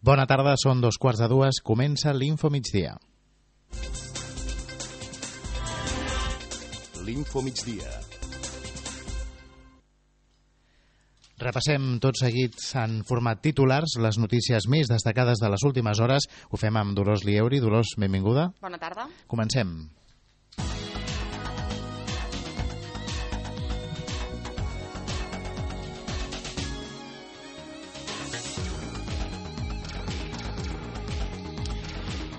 Bona tarda, són 2:15, comença l'Info Migdia. L'Info Migdia. Repassem tot seguit en format titulars les notícies més destacades de les últimes hores. Ho fem amb Dolors Lieuri. Dolors, benvinguda. Bona tarda. Comencem.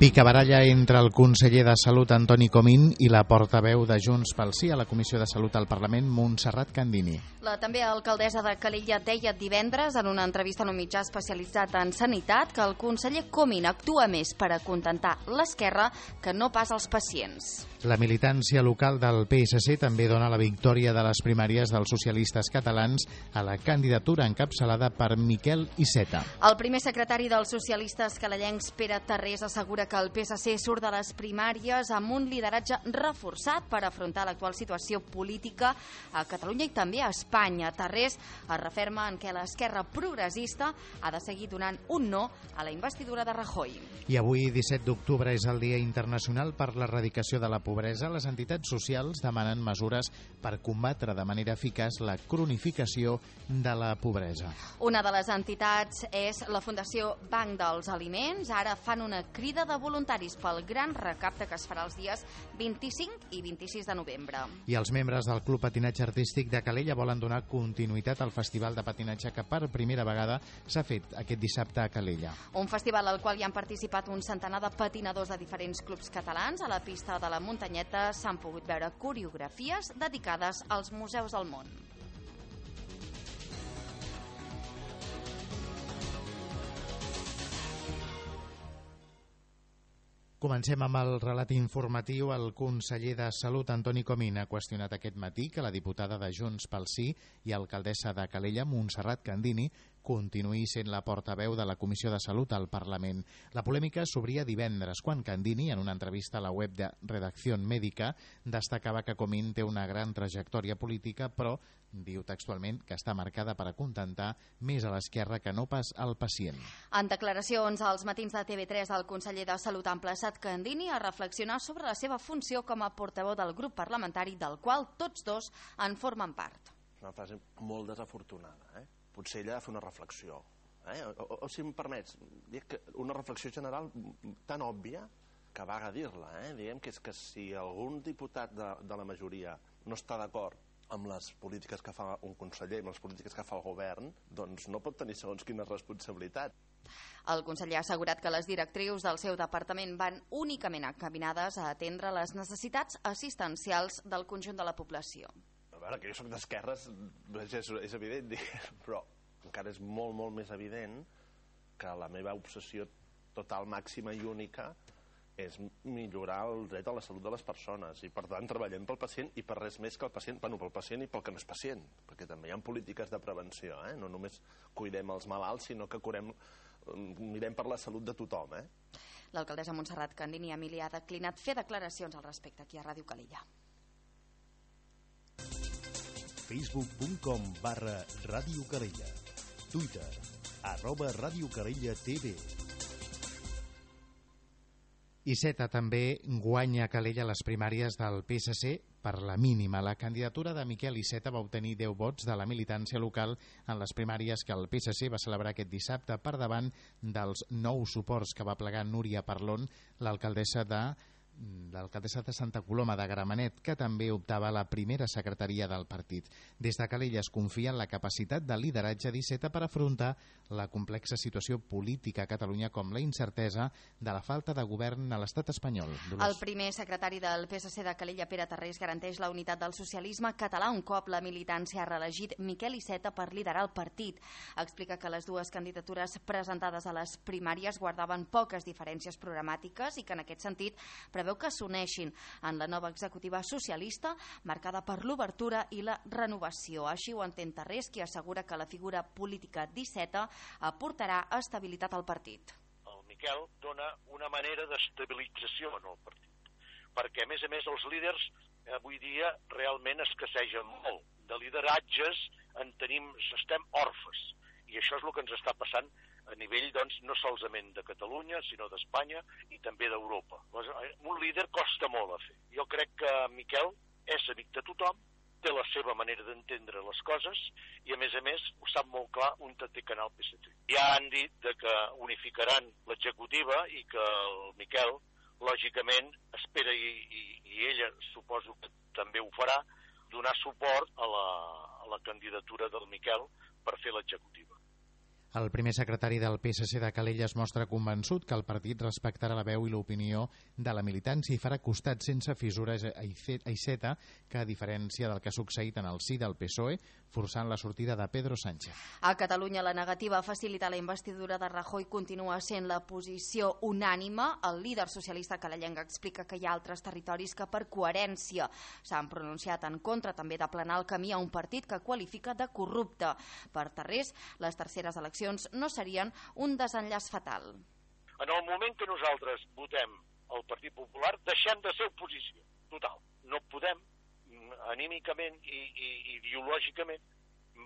Picabaralla entre el conseller de Salut, Antoni Comín, i la portaveu de Junts pel Sí a la Comissió de Salut al Parlament, Montserrat Candini. La també alcaldessa de Calella deia divendres en una entrevista en un mitjà especialitzat en sanitat que el conseller Comín actua més per acontentar l'esquerra que no pas els pacients. La militància local del PSC també dona la victòria de les primàries dels socialistes catalans a la candidatura encapçalada per Miquel Iceta. El primer secretari dels socialistes calellencs, Pere Tarrés, assegura que el PSC surt de les primàries amb un lideratge reforçat per afrontar l'actual situació política a Catalunya i també a Espanya. Tarrés es referma en què l'esquerra progressista ha de seguir donant un no a la investidura de Rajoy. I avui, 17 d'octubre, és el Dia Internacional per l'Erradicació de la Pobresa. Les entitats socials demanen mesures per combatre de manera eficaç la cronificació de la pobresa. Una de les entitats és la Fundació Banc dels Aliments. Ara fan una crida de voluntaris pel gran recapte que es farà els dies 25 i 26 de novembre. I els membres del Club Patinatge Artístic de Calella volen donar continuïtat al festival de patinatge que per primera vegada s'ha fet aquest dissabte a Calella. Un festival al qual hi han participat un centenar de patinadors de diferents clubs catalans. A la pista de la muntanyeta s'han pogut veure coreografies dedicades als museus del món. Comencem amb el relat informatiu. El conseller de Salut, Antoni Comín, ha qüestionat aquest matí que la diputada de Junts pel Sí i alcaldessa de Calella, Montserrat Candini, continuï sent la portaveu de la Comissió de Salut al Parlament. La polèmica s'obria divendres, quan Candini, en una entrevista a la web de Redacció Mèdica, destacava que Comín té una gran trajectòria política, però diu textualment que està marcada per acontentar més a l'esquerra que no pas al pacient. En declaracions als matins de TV3, el conseller de Salut ha emplaçat Candini a reflexionar sobre la seva funció com a portaveu del grup parlamentari del qual tots dos en formen part. Una frase molt desafortunada, Potser ella ha de fer una reflexió. O si em permets, una reflexió general tan òbvia que vaga dir-la. Diguem que és que si algun diputat de la majoria no està d'acord amb les polítiques que fa un conseller, amb les polítiques que fa el govern, doncs no pot tenir segons quina responsabilitat. El conseller ha assegurat que les directrius del seu departament van únicament encaminades a atendre les necessitats assistencials del conjunt de la població. A veure, que jo soc d'esquerres és evident, però encara és molt, molt més evident que la meva obsessió total, màxima i única és millorar el dret a la salut de les persones i, per tant, treballem pel pacient i per res més que el pacient, pel pacient i pel que no és pacient, perquè també hi ha polítiques de prevenció, no només cuidem els malalts, sinó que mirem per la salut de tothom. L'alcaldessa Montserrat Candini Emili ha declinat fer declaracions al respecte aquí a Ràdio Calella. Facebook.com/Ràdio Calella. Twitter @Ràdio Calella TV. Iceta també guanya a Calella les primàries del PSC per la mínima. La candidatura de Miquel Iceta va obtenir 10 vots de la militància local en les primàries que el PSC va celebrar aquest dissabte per davant dels 9 suports que va plegar Núria Parlon, l'alcaldessa de Santa Coloma de Gramenet, que també optava a la primera secretaria del partit. Des de Calella es confia en la capacitat de lideratge d'Iceta per afrontar la complexa situació política a Catalunya, com la incertesa de la falta de govern a l'estat espanyol. El primer secretari del PSC de Calella, Pere Tarrés, garanteix la unitat del socialisme català un cop la militància ha reelegit Miquel Iceta per liderar el partit. Explica que les dues candidatures presentades a les primàries guardaven poques diferències programàtiques i que en aquest sentit preveu que s'uneixin en la nova executiva socialista marcada per l'obertura i la renovació. Així ho entén Tarrés, qui assegura que la figura política d'Iceta aportarà estabilitat al partit. El Miquel dona una manera d'estabilització en el partit, perquè a més els líders avui dia realment escassegen molt. De lideratges estem orfes, i això és el que ens està passant a nivell, doncs, no solament de Catalunya, sinó d'Espanya i també d'Europa. Un líder costa molt a fer. Jo crec que Miquel és amic de tothom, té la seva manera d'entendre les coses i, a més, ho sap molt clar on té canal PSC. Ja han dit que unificaran l'executiva i que el Miquel, lògicament, espera, i ella suposo que també ho farà, donar suport a la candidatura del Miquel per fer l'executiva. El primer secretari del PSC de Calella es mostra convençut que el partit respectarà la veu i l'opinió de la militància i farà costat sense fissures a Iceta, que a diferència del que ha succeït en el si del PSOE, forçant la sortida de Pedro Sánchez. A Catalunya, la negativa a facilitar la investidura de Rajoy continua sent la posició unànime. El líder socialista calellenc explica que hi ha altres territoris que per coherència s'han pronunciat en contra també d'aplanar el camí a un partit que qualifica de corrupte. Per Tarrés, les terceres eleccions no serien un desenllaç fatal. En el moment que nosaltres votem el Partit Popular, deixem de ser oposició. Total. No podem, anímicament i ideològicament,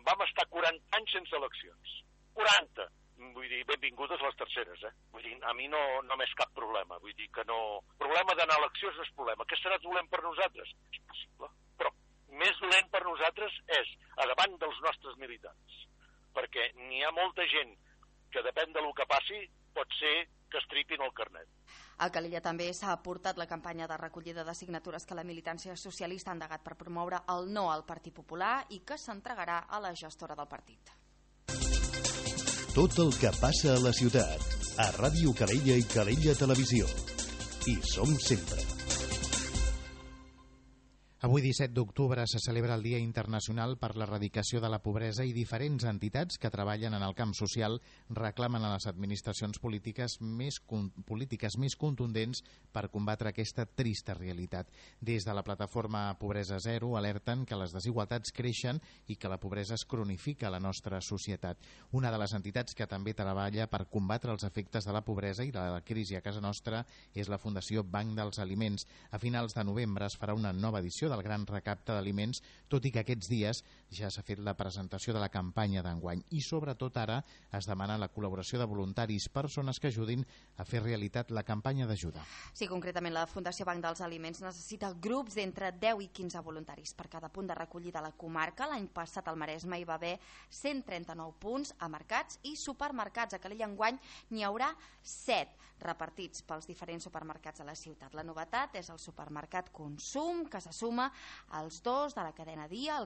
vam estar 40 anys sense eleccions. 40! Vull dir, benvingudes les terceres, Vull dir, a mi no m'és cap problema. Vull dir que no... Problema d'anar a eleccions no és problema. Què serà dolent per nosaltres? És possible. Però més dolent per nosaltres és a davant dels nostres militants. Perquè n'hi ha molta gent que depèn del que passi, pot ser que estripin el carnet. A Calella també s'ha aportat la campanya de recollida de signatures que la militància socialista ha endegat per promoure el no al Partit Popular i que s'entregarà a la gestora del partit. Tot el que passa a la ciutat, a Ràdio Calella i Calella Televisió. Hi som sempre. Avui, 17 d'octubre, se celebra el Dia Internacional per l'Erradicació de la Pobresa i diferents entitats que treballen en el camp social reclamen a les administracions polítiques més contundents per combatre aquesta trista realitat. Des de la plataforma Pobresa Zero alerten que les desigualtats creixen i que la pobresa es cronifica a la nostra societat. Una de les entitats que també treballa per combatre els efectes de la pobresa i de la crisi a casa nostra és la Fundació Banc dels Aliments. A finals de novembre es farà una nova edició del gran recapte d'aliments, tot i que aquests dies ja s'ha fet la presentació de la campanya d'enguany i sobretot ara es demana la col·laboració de voluntaris, persones que ajudin a fer realitat la campanya d'ajuda. Sí, concretament la Fundació Banc dels Aliments necessita grups d'entre 10 i 15 voluntaris per cada punt de recollida a la comarca. L'any passat al Maresme hi va haver 139 punts a mercats i supermercats. A Calella enguany n'hi haurà 7 repartits pels diferents supermercats de la ciutat. La novetat és el supermercat Consum, que se suma als 2 de la cadena Dia, el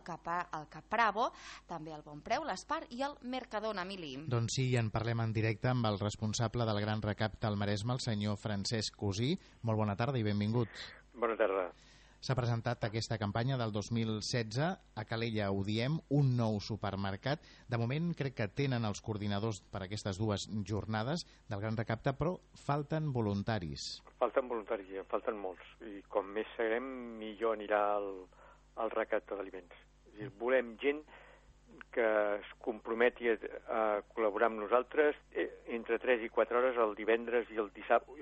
Capravo, també el Bonpreu, l'Espar i el Mercadona, Emili. Doncs sí, en parlem en directe amb el responsable del Gran Recapte al Maresme, el senyor Francesc Cosí. Molt bona tarda i benvingut. Bona tarda. S'ha presentat aquesta campanya del 2016, a Calella ho diem, un nou supermercat. De moment crec que tenen els coordinadors per aquestes dues jornades del Gran Recapte, però falten voluntaris. Falten voluntaris, en falten molts. I com més serem, millor anirà el recapte d'aliments. Volem gent que es comprometi a col·laborar amb nosaltres entre 3 i 4 hores el divendres i el dissabte,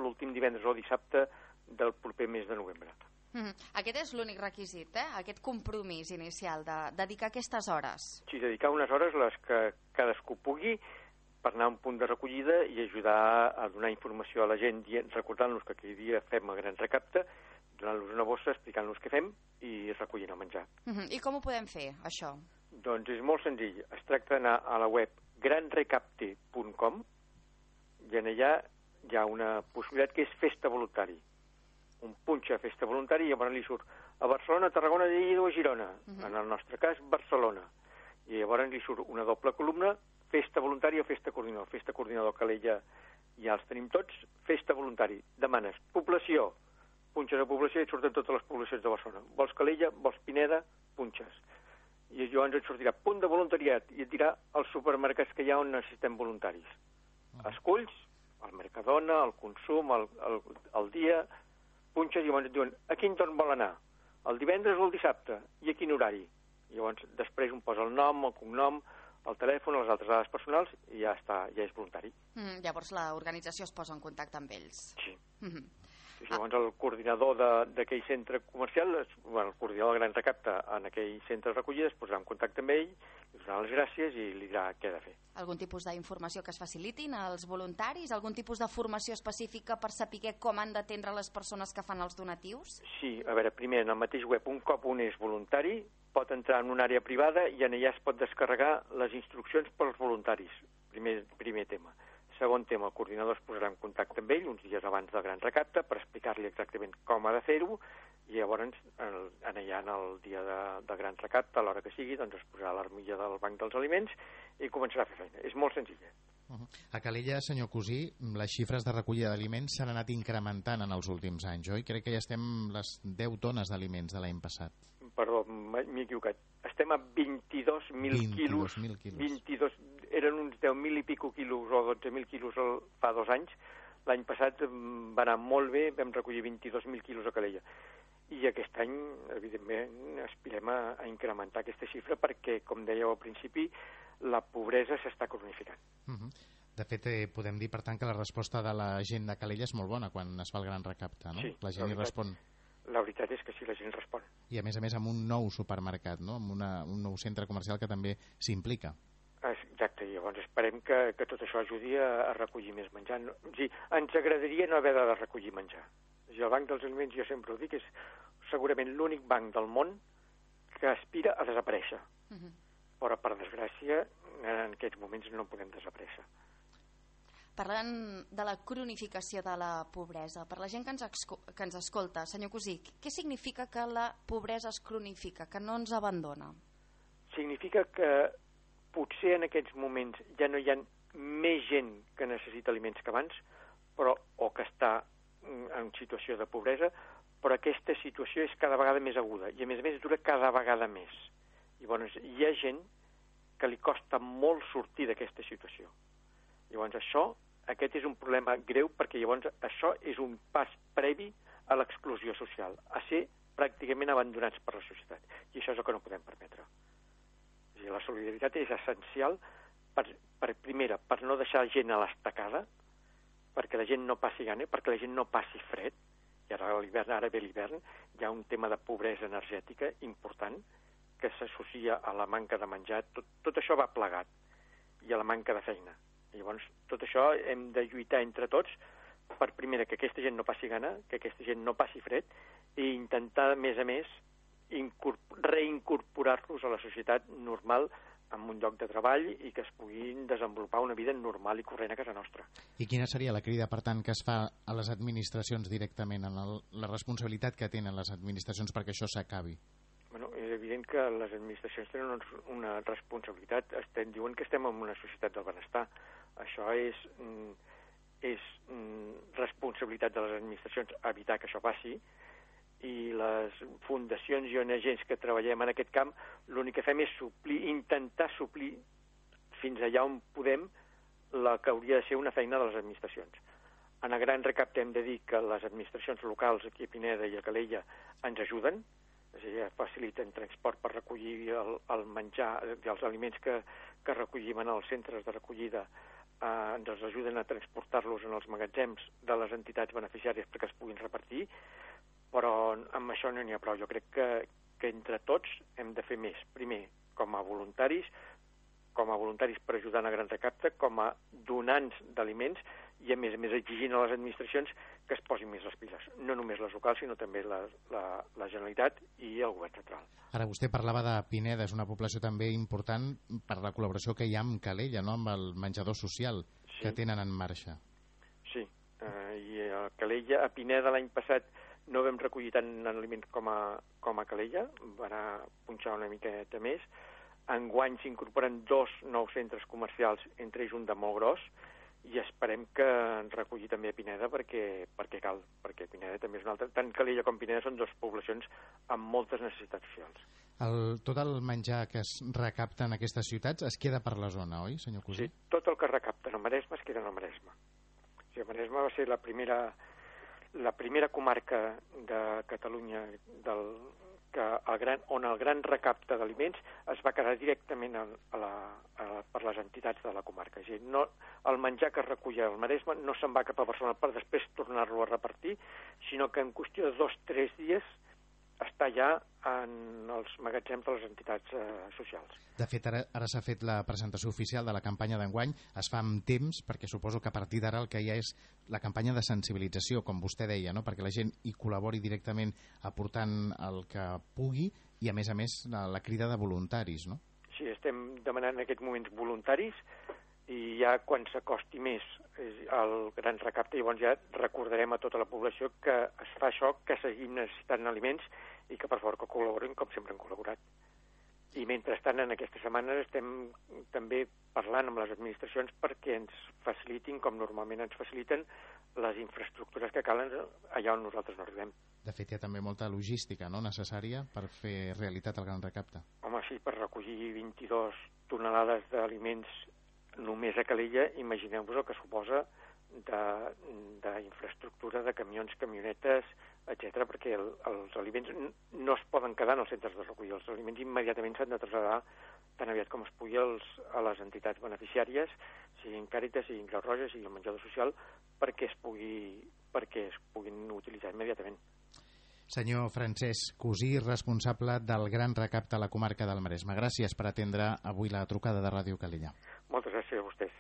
l'últim divendres o dissabte del proper mes de novembre. Aquest és l'únic requisit, aquest compromís inicial de dedicar aquestes hores. Sí, dedicar unes hores les que cadascú pugui per anar a un punt de recollida i ajudar a donar informació a la gent, recordant-los que aquell dia fem el gran recapte, donant-los una bossa, explicant-los què fem i recollint el menjar. I com ho podem fer, això? Doncs és molt senzill. Es tracta d'anar a la web granrecapte.com i en allà hi ha una possibilitat que és festa voluntari. Un punxa festa voluntari i llavors li surt a Barcelona, Tarragona, Lleida o Girona. En el nostre cas, Barcelona. I llavors li surt una doble columna, festa voluntari o festa coordinador. Festa coordinador Calella ja els tenim tots. Festa voluntari. Demanes població. Punxes a població i et surten totes les poblacions de Barcelona. Vols Calella, vols Pineda, punxes. I llavors et sortirà punt de voluntariat i et dirà els supermercats que hi ha on necessitem voluntaris. Esculls, el Mercadona, el Consum, el Dia, punxes i llavors et diuen a quin torn vol anar, el divendres o el dissabte, i a quin horari. I llavors després un posa el nom, el cognom, el telèfon, les altres dades personals i ja està, ja és voluntari. Llavors l'organització es posa en contacte amb ells. Sí. Llavors el coordinador d'aquell centre comercial, el coordinador del Gran Recapte en aquell centre de recollida, es posarà en contacte amb ell, li donarà les gràcies i li dirà què ha de fer. Algun tipus d'informació que es facilitin als voluntaris? Algun tipus de formació específica per saber com han d'atendre les persones que fan els donatius? Sí, a veure, primer, en el mateix web, un cop un és voluntari, pot entrar en una àrea privada i en allà es pot descarregar les instruccions pels voluntaris. Primer tema. Segon tema, el coordinador es posarà en contacte amb ell uns dies abans del Gran Recapte per explicar-li exactament com ha de fer-ho i llavors allà en el dia de Gran Recapte, a l'hora que sigui, doncs es posarà l'armilla del Banc dels Aliments i començarà a fer feina. És molt senzilla. A Calella, senyor Cosí, les xifres de recollida d'aliments s'han anat incrementant en els últims anys, oi? Crec que ja estem les 10 tones d'aliments de l'any passat. Perdó, m'he equivocat. Estem a 22.000 quilos. 22, eren uns 10.000 i pico quilos o 12.000 quilos fa 2 anys. L'any passat va anar molt bé, vam recollir 22.000 quilos a Calella. I aquest any, evidentment, aspirem a incrementar aquesta xifra perquè, com dèieu al principi, la pobresa s'està cronificant. De fet, podem dir, per tant, que la resposta de la gent de Calella és molt bona quan es fa el Gran Recapte, no? Sí, la gent hi respon. La veritat és que sí, la gent respon. I a més amb un nou supermercat, no? Amb un nou centre comercial que també s'implica. Exacte, i llavors esperem que tot això ajudi a recollir més menjar. O sigui, ens agradaria no haver de recollir menjar. O sigui, el Banc dels Aliments, jo sempre ho dic, és segurament l'únic banc del món que aspira a desaparèixer. Però, per desgràcia, en aquests moments no podem desaparèixer. Parlant de la cronificació de la pobresa, per la gent que ens escolta, senyor Cosí, què significa que la pobresa es cronifica, que no ens abandona? Significa que potser en aquests moments ja no hi ha més gent que necessita aliments que abans, o que està en situació de pobresa, però aquesta situació és cada vegada més aguda i a més dura cada vegada més. Llavors hi ha gent que li costa molt sortir d'aquesta situació. Llavors aquest és un problema greu perquè llavors això és un pas previ a l'exclusió social, a ser pràcticament abandonats per la societat. I això és el que no podem permetre. O sigui, la solidaritat és essencial primera, per no deixar gent a l'estacada, perquè la gent no passi gana, perquè la gent no passi fred, i ara ve l'hivern, hi ha un tema de pobresa energètica important que s'associa a la manca de menjar, tot això va plegat, i a la manca de feina. Llavors, tot això hem de lluitar entre tots per, primera, que aquesta gent no passi gana, que aquesta gent no passi fred, i intentar, a més, reincorporar-los a la societat normal amb un lloc de treball i que es puguin desenvolupar una vida normal i corrent a casa nostra. I quina seria la crida, per tant, que es fa a les administracions directament, en la responsabilitat que tenen les administracions perquè això s'acabi? Bueno, és evident que les administracions tenen una responsabilitat. Diuen que estem en una societat del benestar. Això és responsabilitat de les administracions evitar que això passi, i les fundacions i ONGs que treballem en aquest camp l'únic que fem és intentar suplir fins allà on podem la que hauria de ser una feina de les administracions. En el Gran Recapte hem de dir que les administracions locals aquí a Pineda i a Calella ens ajuden, és a dir, faciliten transport per recollir el menjar i els aliments que recollim en els centres de recollida, ens ajuden a transportar-los en els magatzems de les entitats beneficiàries perquè es puguin repartir, però amb això no n'hi ha prou. Jo crec que entre tots hem de fer més. Primer, com a voluntaris per ajudar en el Gran Recapte, com a donants d'aliments i a més exigint a les administracions que es posin més les piles. No només les locals, sinó també la Generalitat i el govern central. Ara vostè parlava de Pineda, és una població també important per la col·laboració que hi ha amb Calella, no? Amb el menjador social que tenen en marxa. Sí, i a Calella, a Pineda l'any passat no vam recollir tant aliments com a Calella, va anar a punxar una miqueta més. Enguany s'incorporen 2 nous centres comercials, entre ells un de molt gros, i esperem que ens recolli també a Pineda perquè cal, perquè Pineda també és una altra. Tant Calella com Pineda són 2 poblacions amb moltes necessitats socials. Tot el menjar que es recapta en aquestes ciutats es queda per la zona, oi, senyor Cosí? Sí, tot el que es recapta en el Maresme es queda en el Maresme. O sigui, el Maresme va ser la primera la primera comarca de Catalunya on el gran recapte d'aliments es va quedar directament per les entitats de la comarca. És a dir, no, el menjar que es reculla al Maresme no se'n va cap a Barcelona per després tornar-lo a repartir, sinó que en qüestió de 2 o 3 dies està ja en els magatzems de les entitats socials. De fet, ara s'ha fet la presentació oficial de la campanya d'enguany, es fa amb temps, perquè suposo que a partir d'ara el que hi ha és la campanya de sensibilització, com vostè deia, no? Perquè la gent hi col·labori directament aportant el que pugui i, a més, la crida de voluntaris, no? Sí, estem demanant en aquests moments voluntaris i ja quan s'acosti més el gran recapte, llavors ja recordarem a tota la població que es fa això, que seguim necessitant aliments i que per favor que col·laborin com sempre han col·laborat. I mentrestant en aquestes setmanes estem també parlant amb les administracions perquè ens facilitin, com normalment ens faciliten, les infraestructures que calen allà on nosaltres no arribem. De fet, hi ha també molta logística, no?, necessària per fer realitat el gran recapte. Home, sí, per recollir 22 tonelades d'aliments només a Calella, imagineu-vos el que suposa d'infraestructura, de camions, camionetes, etc, perquè els aliments no es poden quedar en els centres de recollida. Els aliments immediatament s'han de traslladar tan aviat com es pugui a les entitats beneficiàries, siguin Càritas, siguin Creu Roja, sigui el menjador social, perquè es puguin utilitzar immediatament. Senyor Francesc Cosí, responsable del gran recapte a la comarca del Maresme. Gràcies per atendre avui la trucada de Ràdio Calella. Moltes gràcies a vostès.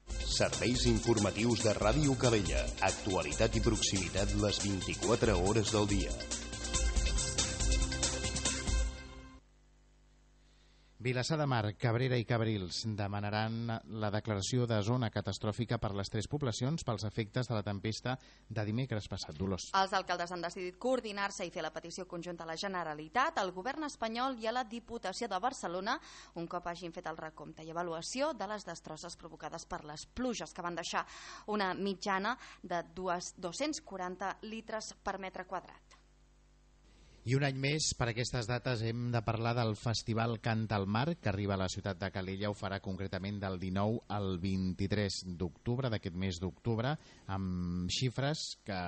Serveis informatius de Ràdio Calella. Actualitat i proximitat les 24 hores del dia. Vilassar de Mar, Cabrera i Cabrils demanaran la declaració de zona catastròfica per les 3 poblacions pels efectes de la tempesta de dimecres passat. Dolors. Els alcaldes han decidit coordinar-se i fer la petició conjunta a la Generalitat, al govern espanyol i a la Diputació de Barcelona, un cop hagin fet el recompte i avaluació de les destrosses provocades per les pluges, que van deixar una mitjana de 240 litres per metre quadrat. I un any més, per aquestes dates, hem de parlar del Festival Canta al Mar, que arriba a la ciutat de Calella. Ho farà concretament del 19 al 23 d'octubre, d'aquest mes d'octubre, amb xifres que,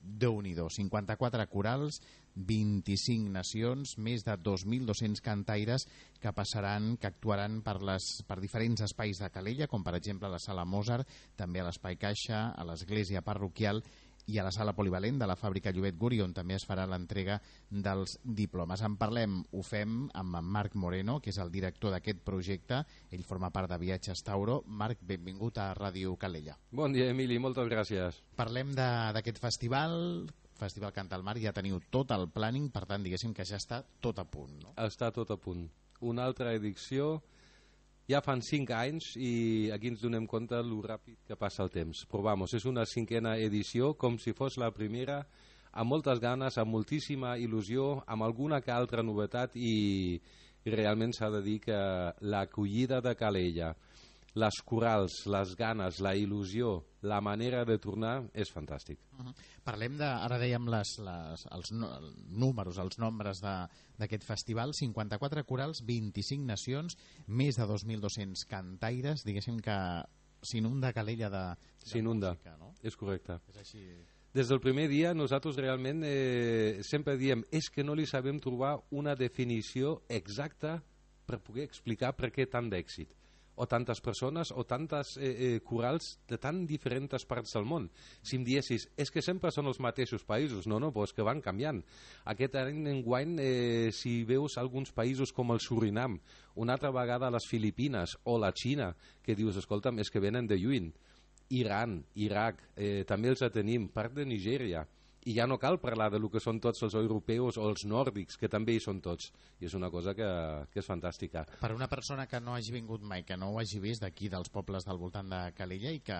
Déu-n'hi-do, 54 corals, 25 nacions, més de 2.200 cantaires que actuaran per diferents espais de Calella, com per exemple a la Sala Mozart, també a l'Espai Caixa, a l'Església Parroquial i a la Sala Polivalent de la Fàbrica Llobet Guri, on també es farà l'entrega dels diplomes. En parlem, ho fem amb en Marc Moreno, que és el director d'aquest projecte. Ell forma part de Viatges Tauro. Marc, benvingut a Ràdio Calella. Bon dia, Emili, moltes gràcies. Parlem d'aquest festival Canta al Mar. Ja teniu tot el planning, per tant, diguéssim que ja està tot a punt, no? Està tot a punt. Una altra edició. Ja fan 5 anys i aquí ens donem compte lo ràpid que passa el temps. Però vamos, és una 5a edició com si fos la primera, amb moltes ganes, amb moltíssima il·lusió, amb alguna que altra novetat i realment s'ha de dir que l'acollida de Calella, les corals, les ganes, la il·lusió, la manera de tornar és fantàstic. Parlem ara dèiem els números, els nombres d'aquest festival: 54 corals, 25 nacions, més de 2.200 cantaires. Diguéssim que s'inunda Calella de música, no? És correcte. És així. Des del primer dia nosaltres realment sempre diem és que no li sabem trobar una definició exacta per poder explicar per què tant d'èxit, o tantes persones, o tantes corals de tan diferents parts del món. Si em diessis, és que sempre són els mateixos països. No, però és que van canviant. Aquest any enguany, si veus alguns països com el Surinam, una altra vegada les Filipines o la Xina, que dius, escolta'm, és que venen de lluny. Iran, Iraq, també els tenim, part de Nigèria. I ja no cal parlar de lo que són tots els europeus o els nòrdics, que també hi són tots. I és una cosa que és fantàstica. Per una persona que no hagi vingut mai, que no ho hagi vist d'aquí, dels pobles del voltant de Calella, i que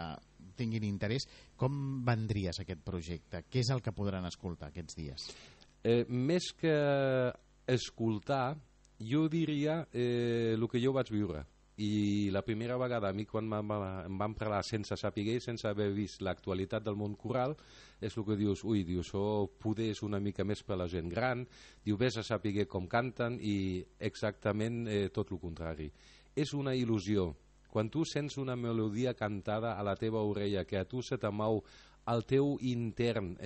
tinguin interès, com vendries aquest projecte? Què és el que podran escoltar aquests dies? Més que escoltar, jo diria el que jo vaig viure. I la primera vegada a mi quan em van parlar sense saber, sense haver vist l'actualitat del món coral, és el que dius, això poder és una mica més per la gent gran, diu, vés a saber com canten, i exactament tot el contrari. És una il·lusió Quan tu sents una melodia cantada a la teva orella, que a tu se t'amau al teu intern,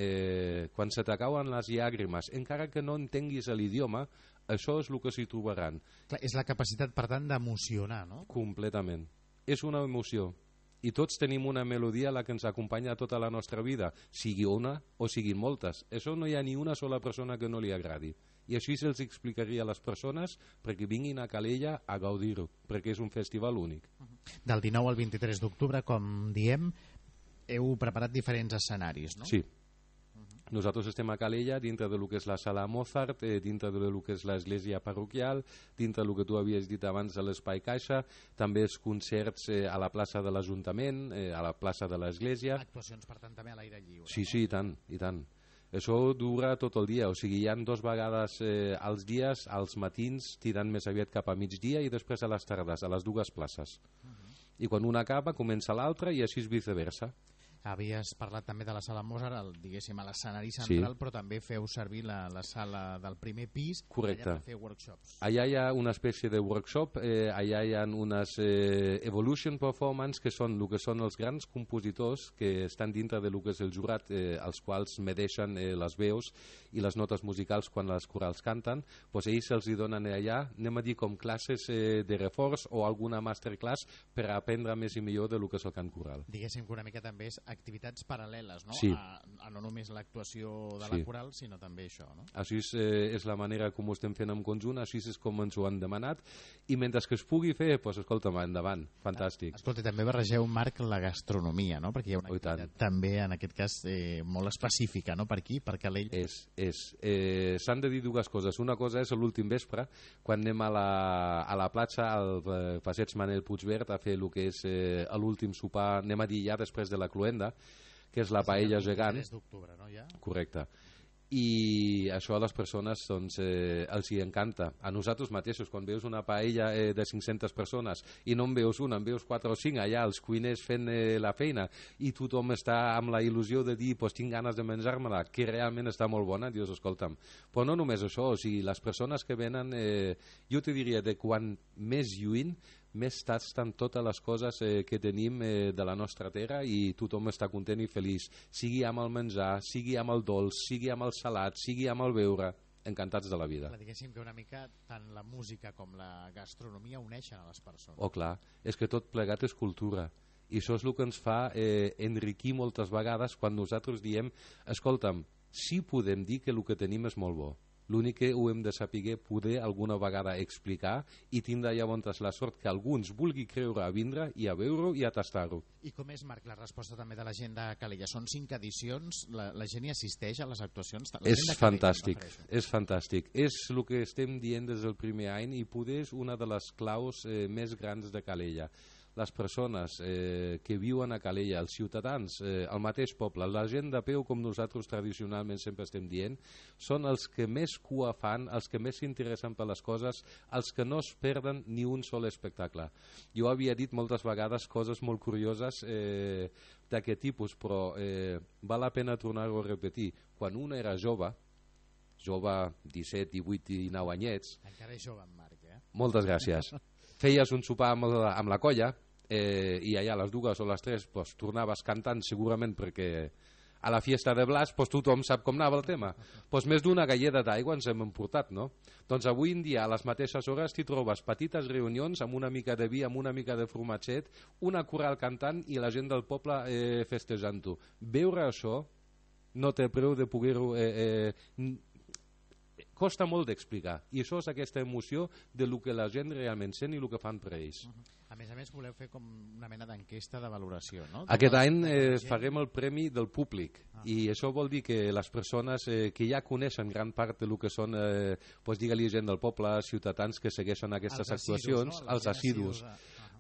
quan se t'acauen les llàgrimes, encara que no entenguis l'idioma, això és el que s'hi trobaran. Clar, és la capacitat, per tant, d'emocionar, no? Completament. És una emoció. I tots tenim una melodia a la que ens acompanya tota la nostra vida, sigui una o siguin moltes. Això no hi ha ni una sola persona que no li agradi. I així se'ls explicaria a les persones perquè vinguin a Calella a gaudir-ho, perquè és un festival únic. Del 19 al 23 d'octubre, com diem, heu preparat diferents escenaris, no? Sí. Nosaltres estem a Calella, dintre del que és la sala Mozart, dintre del que és l'església parroquial, dintre del que tu havies dit abans de l'Espai Caixa, també els concerts a la plaça de l'Ajuntament, a la plaça de l'església. Actuacions, per tant, també a l'aire lliure. Sí, sí, i tant, i tant. Això dura tot el dia, o sigui, hi ha 2 vegades als dies, als matins, tirant més aviat cap a migdia i després a les tardes, a les 2 places. I quan una acaba, comença l'altra i així és viceversa. Havies parlat també de la sala Mozart, diguéssim, a l'escenari central, sí. Però també feu servir la sala del primer pis. Correcte. Allà per fer workshops. Allà hi ha una espècie de workshop, allà hi ha unes evolution performance, que són el que són els grans compositors que estan dintre de lo que és el jurat, els quals medeixen les veus i les notes musicals quan les corals canten. Doncs ells se'ls donen allà, anem a dir, com classes de reforç o alguna masterclass per aprendre més i millor de lo que és el cant coral. Diguéssim que una mica també és activitats paral·leles, no? Sí. A no només l'actuació de la coral, sinó també això, no? Així és la manera com ho estem fent en conjunt, així és com ens ho han demanat, i mentre que es pugui fer, doncs escolta'm, endavant, fantàstic. Escolta, també barregeu, Marc, la gastronomia, no? Perquè hi ha una activitat també, en aquest cas, molt específica, no? Per aquí, per Calella. S'han de dir 2 coses. Una cosa és l'últim vespre, quan anem a la platja, al passeig Manel Puigverd, a fer el que és l'últim sopar, anem a dir ja després de la cloenda, que és la paella gegant. El 3 d'octubre, no, ja? Correcte. I això a les persones doncs, els hi encanta. A nosaltres mateixos, quan veus una paella de 500 persones i no en veus una, en veus 4 o 5 allà, els cuiners fent la feina, i tothom està amb la il·lusió de dir pues, tinc ganes de menjar-me-la, que realment està molt bona, dius, escolta'm. Però no només això, o sigui, les persones que venen, jo te diria de quan més lluny, més tasten totes les coses que tenim de la nostra terra i tothom està content i feliç, sigui amb el menjar, sigui amb el dolç, sigui amb el salat, sigui amb el beure, encantats de la vida. Clar, diguéssim que una mica tant la música com la gastronomia uneixen a les persones. Oh, clar, és que tot plegat és cultura. I això és el que ens fa enriquir moltes vegades quan nosaltres diem, escolta'm, sí podem dir que el que tenim és molt bo. L'únic que ho hem de saber poder alguna vegada explicar i tindre llavors la sort que alguns vulgui creure a vindre i a veure-ho i a tastar-ho. I com és, Marc, la resposta també de la gent de Calella? Són 5 edicions, la gent hi assisteix a les actuacions? És fantàstic, és fantàstic. És el que estem dient des del primer any i poder és una de les claus més grans de Calella. Les persones que viuen a Calella, els ciutadans, el mateix poble, la gent de peu, com nosaltres tradicionalment sempre estem dient, són els que més cua fan, els que més s'interessen per les coses, els que no es perden ni un sol espectacle. Jo havia dit moltes vegades coses molt curioses d'aquest tipus, però val la pena tornar-ho a repetir. Quan un era jove, 17, 18 i 9 anyets... Encara és jove, en Marc, Moltes gràcies. Feies un sopar amb la colla, i allà a les 2 o les 3 pues, tornaves cantant segurament perquè a la fiesta de Blas pues, tothom sap com anava el tema, pues, més d'una galleda d'aigua ens hem emportat, no? Doncs avui en dia a les mateixes hores t'hi trobes petites reunions amb una mica de vi, amb una mica de formatget, una coral cantant i la gent del poble festejant-ho. Veure això no té preu de poder-ho costa molt d'explicar, i això és aquesta emoció de lo que la gent realment sent i el que fan per ells. A més, voleu fer com una mena d'enquesta de valoració, no? Aquest any farem el premi del públic, i això vol dir que les persones que ja coneixen gran part de lo que són, digue-li gent del poble, ciutadans que segueixen aquestes actuacions, els assidus,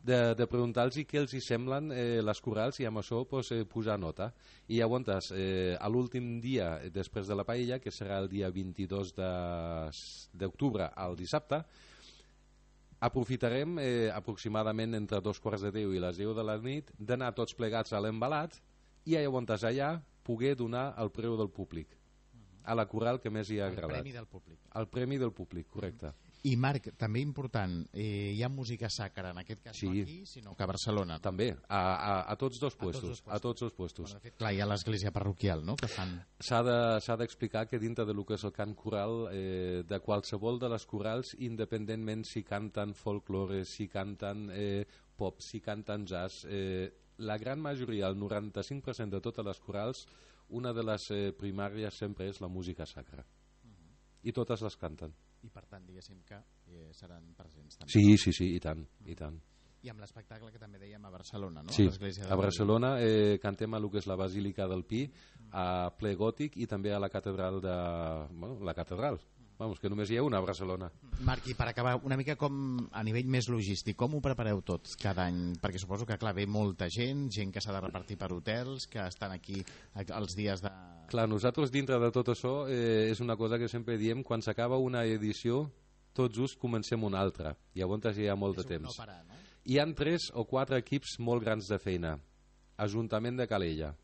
de preguntar-los què els hi semblen les corals i amb això posar nota. I llavors, a l'últim dia després de la paella, que serà el dia 22 d'octubre al dissabte, aprofitarem aproximadament entre 2:45 i les 10 de la nit d'anar tots plegats a l'embalat i llavors allà poder donar el preu del públic a la coral que més hi ha agradat. El premi del públic. El premi del públic, correcte. I Marc, també important, hi ha música sacra, en aquest cas no aquí, sinó que a Barcelona. També, a tots dos puestos. A tots dos puestos. Bueno, de fet, clar, hi ha l'església parroquial, no?, que fan... S'ha d'explicar que dintre del que és el cant coral, de qualsevol de les corals, independentment si canten folklore, si canten pop, si canten jazz, la gran majoria, el 95% de totes les corals, una de les primàries sempre és la música sacra. I totes les canten. I per tant, diguéssim que seran presents també. Sí, i tant, i tant. I amb l'espectacle que també dèiem a Barcelona, no? Sí, a Barcelona cantem a lo que és la Basílica del Pi, a ple gòtic i també a la catedral la catedral. Vamos, que només hi ha una a Barcelona. Marc, i per acabar, una mica com a nivell més logístic, com ho prepareu tot cada any? Perquè suposo que, clar, ve molta gent que s'ha de repartir per hotels, que estan aquí els dies de... Clar, nosaltres dintre de tot això és una cosa que sempre diem, quan s'acaba una edició, tot just comencem una altra. Llavors hi ha molt de temps. No parar, no? Hi han 3 o 4 equips molt grans de feina. Ajuntament de Calella,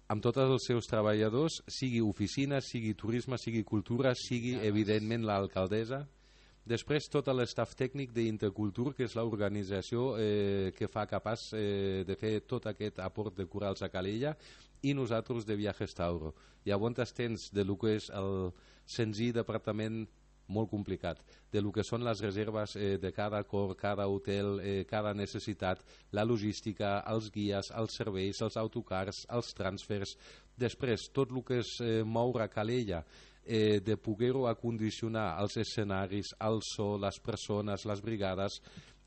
amb tots els seus treballadors, sigui oficina, sigui turisme, sigui cultura, sigui, evidentment, l'alcaldessa. Després, tot l'estaf tècnic d'Intercultur, que és l'organització que fa capaç de fer tot aquest aport de corals a Calella, i nosaltres de Viajes Tauro. Llavors tens de lo que és el senzill departament molt complicat, de lo que són les reserves de cada cor, cada hotel, cada necessitat, la logística, els guies, els serveis, els autocars, els transfers. Després, tot el que és moure a Calella, de poder-ho acondicionar els escenaris, el so, les persones, les brigades,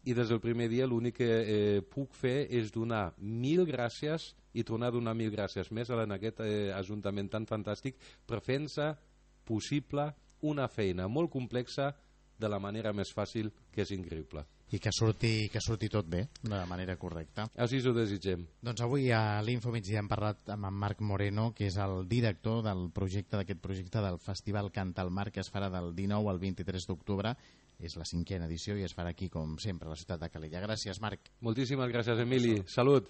i des del primer dia l'únic que puc fer és donar 1000 gràcies i tornar a donar 1000 gràcies més en aquest ajuntament tan fantàstic per fer-nos possible una feina molt complexa de la manera més fàcil, que és increïble. I que surti tot bé, de manera correcta. Així ho desitgem. Doncs avui a l'Info Migdia hem parlat amb en Marc Moreno, que és el director d'aquest projecte del Festival Canta al Mar, que es farà del 19 al 23 d'octubre. És la 5a edició i es farà aquí, com sempre, a la ciutat de Calella. Gràcies, Marc. Moltíssimes gràcies, Emili. Salut.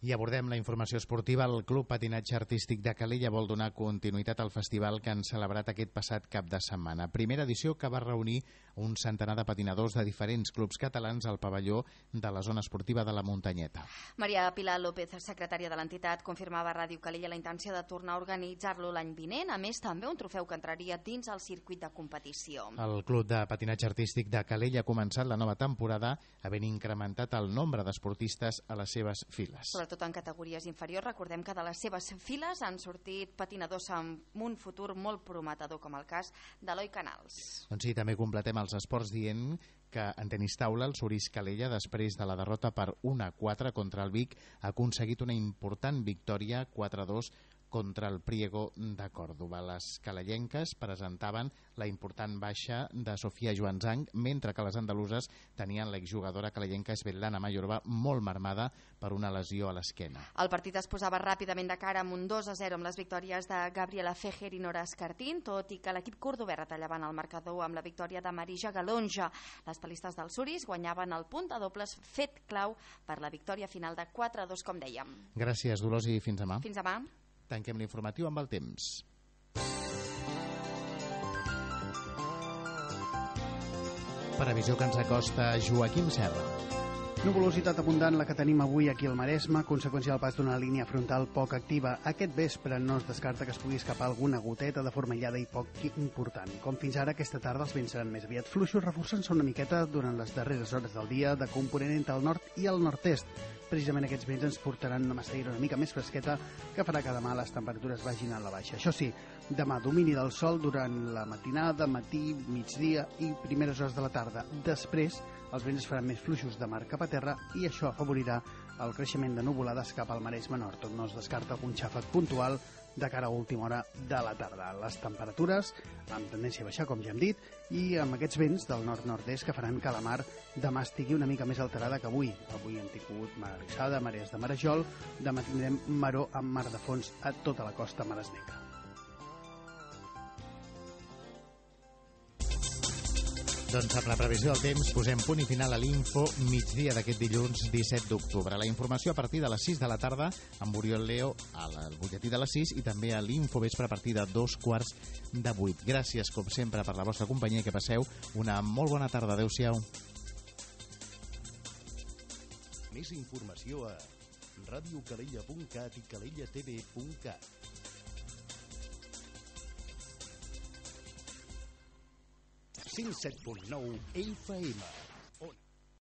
I abordem la informació esportiva. El Club Patinatge Artístic de Calella vol donar continuïtat al festival que han celebrat aquest passat cap de setmana. Primera edició que va reunir un centenar de patinadors de diferents clubs catalans al pavelló de la zona esportiva de la Muntanyeta. Maria Pilar López, secretària de l'entitat, confirmava a Ràdio Calella la intenció de tornar a organitzar-lo l'any vinent. A més, també un trofeu que entraria dins el circuit de competició. El Club de Patinatge Artístic de Calella ha començat la nova temporada havent incrementat el nombre d'esportistes a les seves files. Sobretot en categories inferiors, recordem que de les seves files han sortit patinadors amb un futur molt prometedor, com el cas d'Eloi Canals. Doncs sí, també completem els esports dient que en tenis taula el Surís Calella, després de la derrota per 1-4 contra el Vic, ha aconseguit una important victòria 4-2 contra el Priego de Còrdoba. Les calellenques presentaven la important baixa de Sofia Joanzang, mentre que les andaluses tenien l'exjugadora calellenca Svetlana Mayorova molt marmada per una lesió a l'esquena. El partit es posava ràpidament de cara amb un 2-0 amb les victòries de Gabriela Fejer i Nora Escartín, tot i que l'equip cordobè retallava el marcador amb la victòria de Marija Galonja. Les palistes del Surís guanyaven el punt de dobles, fet clau per la victòria final de 4-2, com dèiem. Gràcies, Dolors, i fins demà. Fins demà. Tanquem l'informatiu amb el temps. Previsió que ens acosta Joaquim Serra. Nuvolositat abundant la que tenim avui aquí al Maresme, conseqüència del pas d'una línia frontal poc activa. Aquest vespre no es descarta que es pugui escapar alguna goteta de forma aïllada i poc important. Com fins ara, aquesta tarda els vents seran més aviat fluixos, reforçant-se una miqueta durant les darreres hores del dia de component entre el nord i el nord-est. Precisament aquests vents ens portaran una massaïra una mica més fresqueta que farà que demà les temperatures vagin a la baixa. Això sí, demà domini del sol durant la matinada, matí, migdia i primeres hores de la tarda. Després, els vents es faran més fluixos de mar cap a terra i això afavorirà el creixement de nuvolades cap al Maresme Nord, on no es descarta algun xàfec puntual de cara a última hora de la tarda. Les temperatures amb tendència a baixar, com ja hem dit, i amb aquests vents del nord-nord-est que faran que la mar demà estigui una mica més alterada que avui. Avui hem tingut mar alçada, marees de marejol, demà tindrem maró amb mar de fons a tota la costa maresmenca. Doncs amb la previsió del temps posem punt i final a l'Info migdia d'aquest dilluns 17 d'octubre. La informació a partir de les 6 de la tarda amb Oriol Leo al butlletí de les 6 i també a l'Info vespre a partir de 7:15. Gràcies, com sempre, per la vostra companyia i que passeu una molt bona tarda. Adéu-siau. Més informació a radiocalella.cat i calellatv.cat. 107.9 FM.